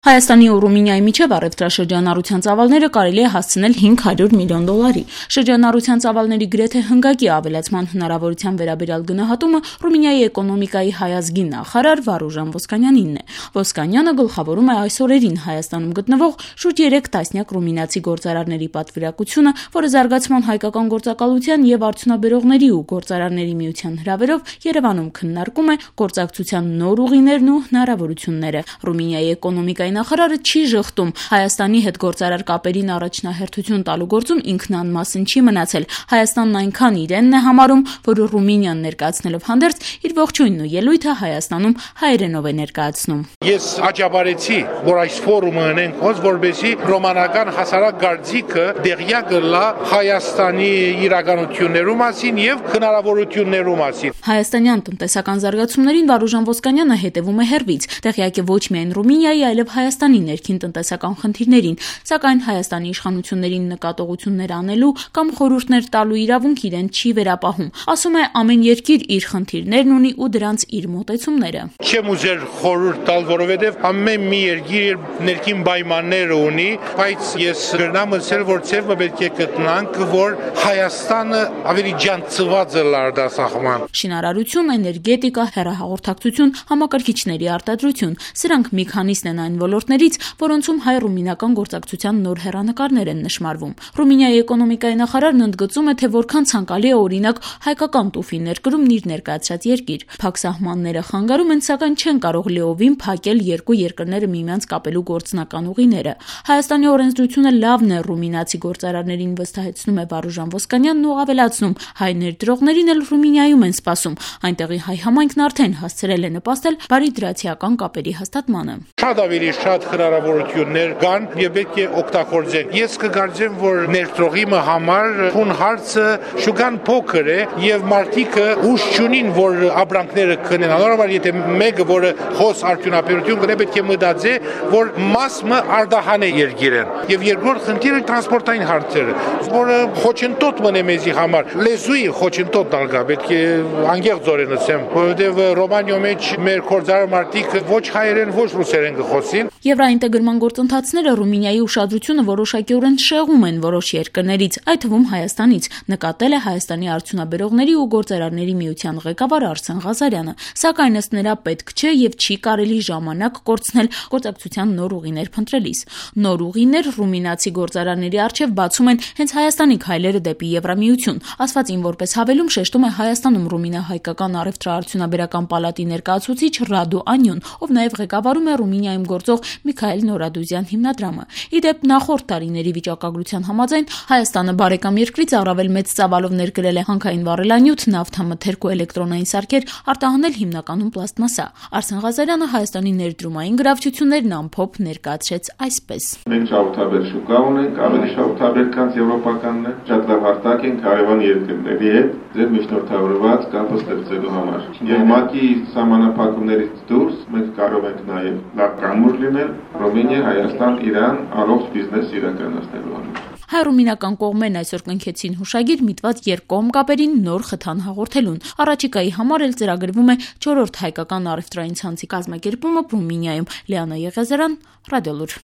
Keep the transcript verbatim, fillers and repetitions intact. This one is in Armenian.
Հայաստանի ու Ռումինիայի միջև առևտրաշրջանառության ծավալները կարելի է հասցնել հինգ հարյուր միլիոն դոլարի։ Շրջանառության ծավալների գրեթե հնգակի ավելացման հնարավորության վերաբերյալ գնահատումը Ռումինիայի էկոնոմիկայի հայազգի նախարար Վարուժան Ոսկանյանինն է։ Ոսկանյանը գլխավորում է այս օրերին Հայաստանում գտնվող շուրջ երեք տասնյակ ռումինացի գործարարների պատվիրակությունը, որը զարգացման հայկական գործակալության եւ արդյունաբերողների ու գործարարների միության հրավերով Երևանում քննարկում է գործակցության նոր ուղիներն ու հնարավորությունները։ Ռումինիայի էկոնոմիկայի նախարարը չի ժխտում Հայաստանի հետ գործարար կապերին առաջնահերթություն տալու գործում ինքն անմասն չի մնացել։ Հայաստանն այնքան իրենն է համարում, որ Ռումինիան ներկայացնելով հանդերձ իր ողջույնն ու ելույթը Հայաստանում հայերենով է ներկայացնում։ Ես աջակցեցի, որ այս ֆորումը ունենք, որպեսզի ռոմանական հասարակ գարցիկը դեղյակ գլա Հայաստանի իրականություններու մասին եւ հնարավորություններու մասին։ Հայաստանյան տնտեսական զարգացումներին Վարուժան Ոսկանյանը հետևում է հեռվից, տեղյակ է ոչ միայն Ռումինիայի, այլև Հայաստանի ներքին տնտեսական խնդիրներին, սակայն Հայաստանի իշխանություններին նկատողություններ անելու կամ խորհուրդներ տալու իրավունք իրեն չի վերապահում։ Ասում է, ամեն երկիր իր խնդիրներն ունի ու դրանց իր մոտեցումները։ Չեմ ուզեր խորհուրդ տալ, որովհետև ամեն մի երկիր ներքին պայմաններ ունի, բայց ես գրնամ ասել, որ ցևը պետք է գտնանք, որ Հայաստանը ավելի ջանցված է լարդասահման։ Շինարարություն, էներգետիկա, հեռահաղորդակցություն, համակարգիչների արտադրություն, սրանք մի քանիսն են այն ոլորտներից, որոնցում հայ-ռումինական գործակցության նոր հեռանկարներ են նշմարվում։ Ռումինիայի էկոնոմիկայի նախարարն ընդգծում է, թե որքան ցանկալի է օրինակ հայկական տուֆի ներկրումն իր ներկայացրած երկիր։ Փակ սահմանները խանգարում են, սակայն չեն կարող լիովին փակել երկու երկրները միմյանց կապելու գործնական ուղիները։ Հայաստանի օրենսդրությունը լավն է, ռումինացի գործարարներին վստահեցնում է Վարուժան Ոսկանյանն ու ավելացնում, հայ ներդրողներին էլ Ռումինիայում են սպասում։ Այնտեղի հայ համայնքն արդեն հասցրել է նպաստել բարիդրացիական կապերի հաստատմանը։ Շատ ավելի շատ հնարավորություններ կան եւ պետք է օգտագործենք։ Ես կգարձեմ, որ ներդրողի համար քուն հարցը շուկան փոքր է եւ մարդիկը ուժ չունին, որ ապրանքները կնեն։ Անորոշ եթե մեկը, որը հոս արդյունաբերություն կնե, պետք է մտածի, որ մասը արդահան է երկիրեն։ Եվ երկրորդ խնդիրը տրանսպորտային հարցերը, որը խոչընդոտ մնե մեզի համար։ Լեզուի խոչընդոտ դալգա, պետք է անգեղծորեն ասեմ, որովհետեւ Ռոմանիո մեջ մեր գործարար մարդիկ ոչ հայերեն, ոչ ռուսերեն կխոսին։ Եվրաինտեգրման գործընթացները Ռումինիայի ուշադրությունը որոշակիորեն շեղում են որոշ երկրներից, այդ թվում Հայաստանից, նկատել է Հայաստանի արդյունաբերողների ու գործարարների միության ղեկավար Արսեն Ղազարյանը, սակայն ըստ նրա պետք չէ եւ չի կարելի ժամանակ կորցնել գործակցության նոր ուղիներ փնտրելիս։ Նոր ուղիներ ռումինացի գործարարների առջև բացում են հենց Հայաստանի քայլերը դեպի Եվրամիություն։ Ասվածին որպես հավելում շեշտում է Հայաստանում ռումինա-հայկական առևտրաարդյունաբերական պալատի ներկայացուցիչ Ռադու Անյուն, ով նաեւ ղեկավարում է Ռումինիայում գործող Միքայել Նորադուզյան հիմնադրամը։ Իդեպ նախորդ տարիների վիճակագրության համաձայն Հայաստանը բարեկամ երկրից առավել մեծ ծավալով ներկրել է հանքային վառելանյութ, նավթամթերք ու էլեկտրոնային սարքեր, արտահանել հիմնականում պլաստմասա։ Արսեն Ղազարյանը Հայաստանի ներդրումային գրավչություններն ամփոփ ներկայացրեց այսպես. Մենք շահութաբեր շուկա ունենք, ավելի շահութաբեր, քան եվրոպականն է, շատ լավ արտակ ենք հարևան երկրների հետ, ձեր միջնորդավորված կապը ստեղծելու համար։ Եվ ՄԱԿ-ի սահմանափակումներից դուրս մենք կարող ենք նաև լավ կամուր լինել Ռումինիա, Հայաստան, Իրան առողջ բիզնես իրականացնելու համար։ Հայ-ռումինական կողմերն այսօր կնքեցին հուշագիր միտված երկկողմ կապերին նոր խթան հաղորդելուն։ Առաջիկայի համար էլ ծրագրվում է չորրորդ հայկական առևտրային ցանցի կազմակերպումը Ռումինիայում։ Լիանա Եղիազարյան, Ռադիոլուր։